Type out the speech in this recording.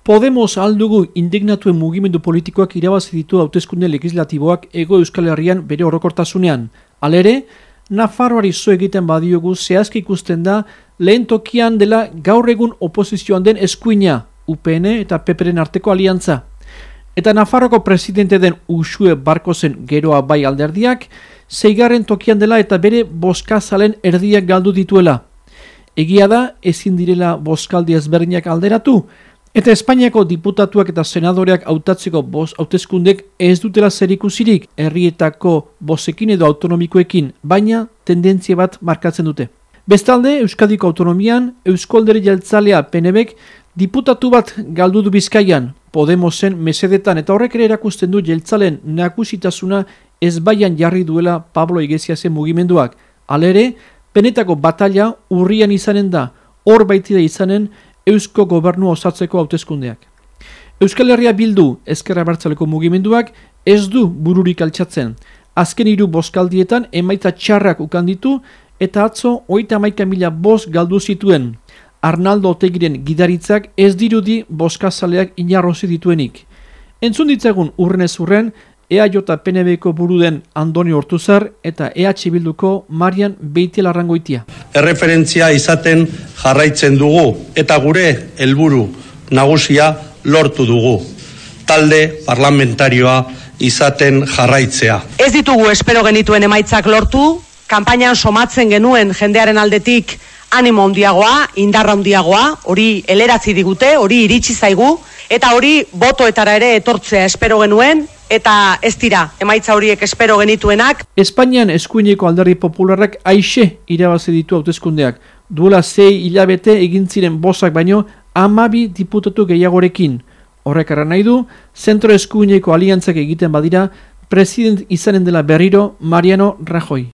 Podemos aldugu indignatuen mugimendu politikoak irabazi ditu hauteskunde legislatiboak Hego Euskal Herrian bere orokortasunean. Halere, Nafarroari zo egiten badiogu zehazki ikusten da lehen tokian dela gaur egun oposizioan den eskuina, UPN eta PPren arteko aliantza. Eta Nafarroko presidente den Uxue Barkosen geroa bai alderdiak, 6. tokian dela eta bere bozkazalen erdiak galdu dituela. Egia da, ezin direla bozkaldi ezberdinak alderatu, eta Espainiako diputatuak eta senadoreak hautatzeko hauteskundek ez dutela zerikusirik herrietako bozekin edo autonomikoekin, baina tendentzia bat markatzen dute. Bestalde, Euskadiko autonomian, Eusko Alderdi Jeltzalea PNBek diputatu bat galdu du Bizkaian, Podemosen mesedetan, eta horrek ere erakusten du jeltzalen nagusitasuna ezbaian jarri duela Pablo Iglesiasen mugimenduak. Halere, benetako batalla urrian izanen da, hor baitira izanen Eusko Gobernua osatzeko hauteskundeak. Euskal Herria Bildu Ezker Abertzaleko mugimenduak ez du bururik altxatzen. Azken 3 bozkaldietan emaitza txarrak ukan ditu eta atzo 31.000 boz galdu zituen. Arnaldo Otegiren gidaritzak ez dirudi bozkazaleak inarrozi dituenik. Entzun ditzagun urrenez urren EAJ PNBko buru den Andoni Ortuzar eta EH Bilduko Marian Beitialarrangoitia. Erreferentzia izaten jarraitzen dugu eta gure helburu nagusia lortu dugu. Talde parlamentarioa izaten jarraitzea. Ez ditugu espero genituen emaitzak lortu, kanpainan somatzen genuen jendearen aldetik animo handiagoa, indarra handiagoa, hori eleratzi digute, hori iritsi zaigu, eta hori botoetara ere etortzea espero genuen, eta ez dira, emaitza horiek espero genituenak. Espainian eskuineko alderdi popularrak aixe irabazi ditu hauteskundeak. Duela 6 hilabete egin ziren bozak baino 12 diputatu gehiagorekin. Horrek arra nahi du, zentro eskuineko aliantzak egiten badira, president izanen dela berriro Mariano Rajoy.